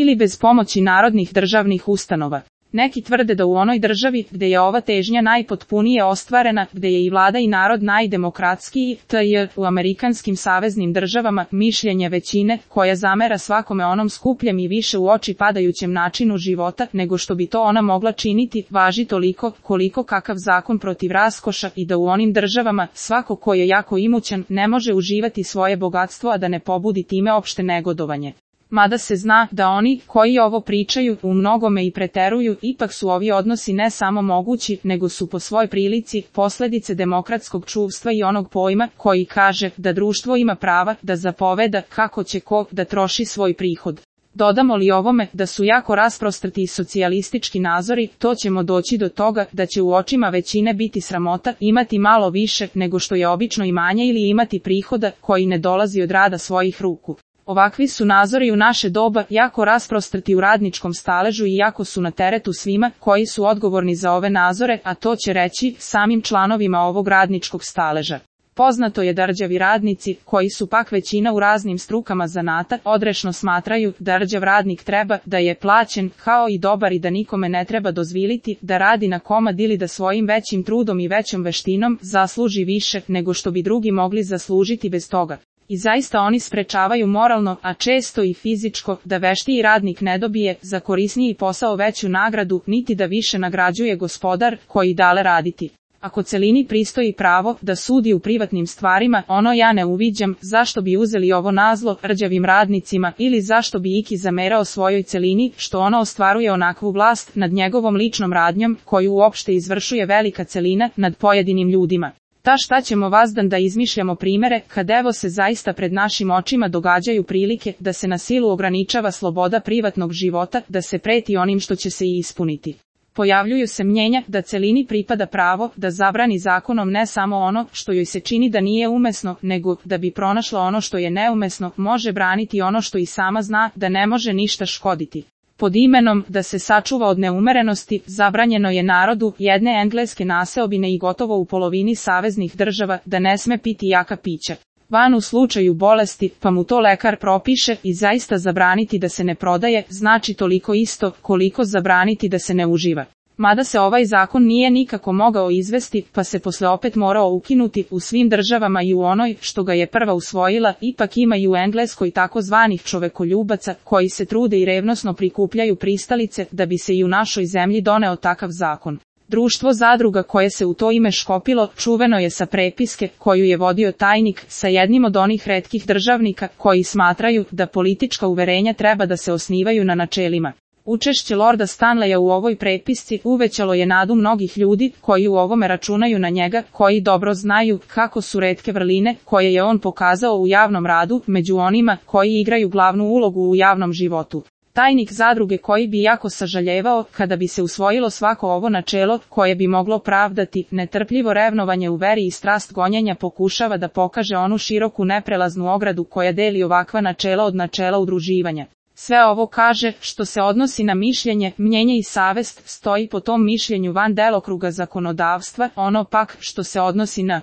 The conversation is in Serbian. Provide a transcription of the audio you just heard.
ili bez pomoći narodnih državnih ustanova. Neki tvrde da u onoj državi gde je ova težnja najpotpunije ostvarena, gde je i vlada i narod najdemokratskiji, u amerikanskim saveznim državama, mišljenje većine, koja zamera svakome onom skupljem i više u oči padajućem načinu života, nego što bi to ona mogla činiti, važi toliko koliko kakav zakon protiv raskoša i da u onim državama svako ko je jako imućan ne može uživati svoje bogatstvo a da ne pobudi time opšte negodovanje. Mada se zna da oni koji ovo pričaju u mnogome i preteruju, ipak su ovi odnosi ne samo mogući, nego su po svoj prilici posledice demokratskog čuvstva i onog pojma koji kaže da društvo ima prava da zapoveda kako će ko da troši svoj prihod. Dodamo li ovome da su jako rasprostrti socijalistički nazori, to ćemo doći do toga da će u očima većine biti sramota imati malo više nego što je obično imanje ili imati prihoda koji ne dolazi od rada svojih ruku. Ovakvi su nazori u naše doba jako rasprostrti u radničkom staležu i jako su na teretu svima koji su odgovorni za ove nazore, a to će reći samim članovima ovog radničkog staleža. Poznato je da rđavi radnici, koji su pak većina u raznim strukama zanata, odrešno smatraju da rđav radnik treba da je plaćen kao i dobar i da nikome ne treba dozvoliti da radi na komad ili da svojim većim trudom i većom veštinom zasluži više nego što bi drugi mogli zaslužiti bez toga. I zaista oni sprečavaju moralno, a često i fizičko, da veštiji radnik ne dobije za korisniji posao veću nagradu, niti da više nagrađuje gospodar koji dale raditi. Ako celini pristoji pravo da sudi u privatnim stvarima, ono ja ne uviđam zašto bi uzeli ovo nazlo rđavim radnicima ili zašto bi iki zamerao svojoj celini što ono ostvaruje onakvu vlast nad njegovom ličnom radnjom koju uopšte izvršuje velika celina nad pojedinim ljudima. Šta ćemo vazdan da izmišljamo primere, kad evo se zaista pred našim očima događaju prilike da se na silu ograničava sloboda privatnog života, da se preti onim što će se i ispuniti. Pojavljuju se mnjenja da celini pripada pravo da zabrani zakonom ne samo ono što joj se čini da nije umesno, nego da bi pronašla ono što je neumesno, može braniti ono što i sama zna da ne može ništa škoditi. Pod imenom da se sačuva od neumerenosti, zabranjeno je narodu jedne engleske naseobine i gotovo u polovini saveznih država da ne sme piti jaka pića. Van u slučaju bolesti, pa mu to lekar propiše, i zaista zabraniti da se ne prodaje, znači toliko isto koliko zabraniti da se ne uživa. Mada se ovaj zakon nije nikako mogao izvesti, pa se posle opet morao ukinuti u svim državama i u onoj što ga je prva usvojila, ipak ima i u Engleskoj takozvanih čovekoljubaca koji se trude i revnosno prikupljaju pristalice da bi se i u našoj zemlji doneo takav zakon. Društvo zadruga koje se u to ime škopilo, čuveno je sa prepiske koju je vodio tajnik sa jednim od onih retkih državnika koji smatraju da politička uverenja treba da se osnivaju na načelima. Učešće Lorda Stanleya u ovoj prepisci uvećalo je nadu mnogih ljudi koji u ovome računaju na njega, koji dobro znaju kako su retke vrline koje je on pokazao u javnom radu među onima koji igraju glavnu ulogu u javnom životu. Tajnik zadruge koji bi jako sažaljevao kada bi se usvojilo svako ovo načelo koje bi moglo pravdati netrpljivo revnovanje u veri i strast gonjenja pokušava da pokaže onu široku neprelaznu ogradu koja deli ovakva načela od načela udruživanja. Sve ovo kaže što se odnosi na mišljenje, mnjenje i savest stoji po tom mišljenju van delokruga zakonodavstva, ono pak što se odnosi na